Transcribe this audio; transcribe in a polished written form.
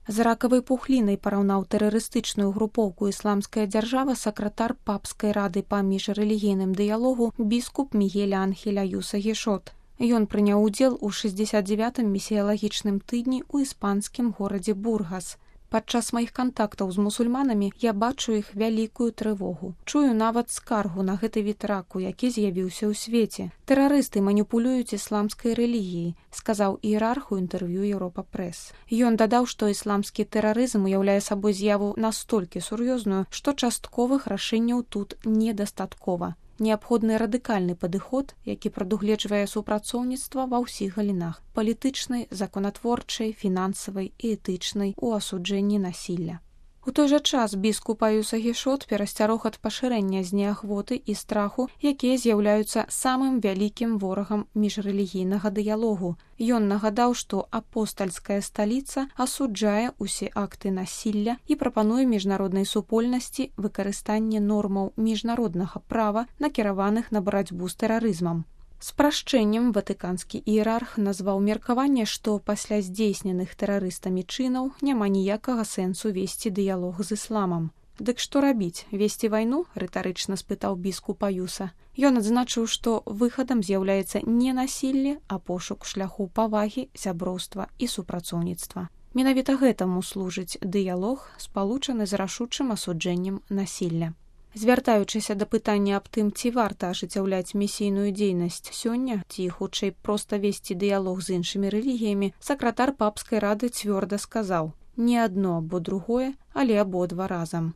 З ракавай пухлінай параўнаў тэрарыстычную групоўку ісламская дзяржава сакратар папскай рады па міжрэлігійным дыялогу біскуп Мігель Анхель Аюса Гішот. Ён прыняў удзел у 69-м місіялагічным тыдні ў іспанскім горадзе Бургас. Падчас маіх кантактаў з мусульманамі я бачу іх вялікую трывогу. Чую нават скаргу на гэты від раку, які з'явіўся ў свеце. Тэрарысты маніпулююць ісламскай рэлігіяй, сказаў іерарх у інтэрв'ю Еўропа Прэс. Ён дадаў, што ісламскі тэрарызм уяўляе сабой з'яву настолькі сур'ёзную, што частковых рашэнняў тут недастаткова. Неабходны радыкальны падыход, які прадугледжвае супрацоўніцтва ва ўсіх галінах – палітычнай, законатворчай, фінансавай і этычнай у асуджэнні насілля. У той жа час біскуп Аюса Гішот перасцярог ад пашырэння знеахвоты і страху, якія з'яўляюцца самым вялікім ворагам міжрэлігійнага дыялогу. Ён нагадаў, што апостальская сталіца асуджае ўсе акты насілля і прапануе міжнароднай супольнасці выкарыстанне нормаў міжнароднага права, накіраваных на барацьбу з тэрарызмам. Спрашчэннем ватыканскі іерарх назваў меркаванне, што пасля здзейсненых тэрарыстамі чынаў няма ніякага сэнсу весці дыялог з ісламам. «Дык што рабіць? Весці вайну?» – рытарычна спытаў біскуп Аюса. Ён адзначыў, што выхадам з'яўляецца не насілле, а пошук шляху павагі, сяброўства і супрацоўніцтва. Менавіта гэтаму служыць дыялог, спалучаны з рашучым асуджэннем насілля. Звяртаючыся да пытання аб тым, ці варта ажыццяўляць місійную дзейнасць сёння, ці хутчэй проста весці дыялог з іншымі рэлігіямі, сакратар папскай рады цвёрда сказаў: «Не адно або другое, але абодва разам».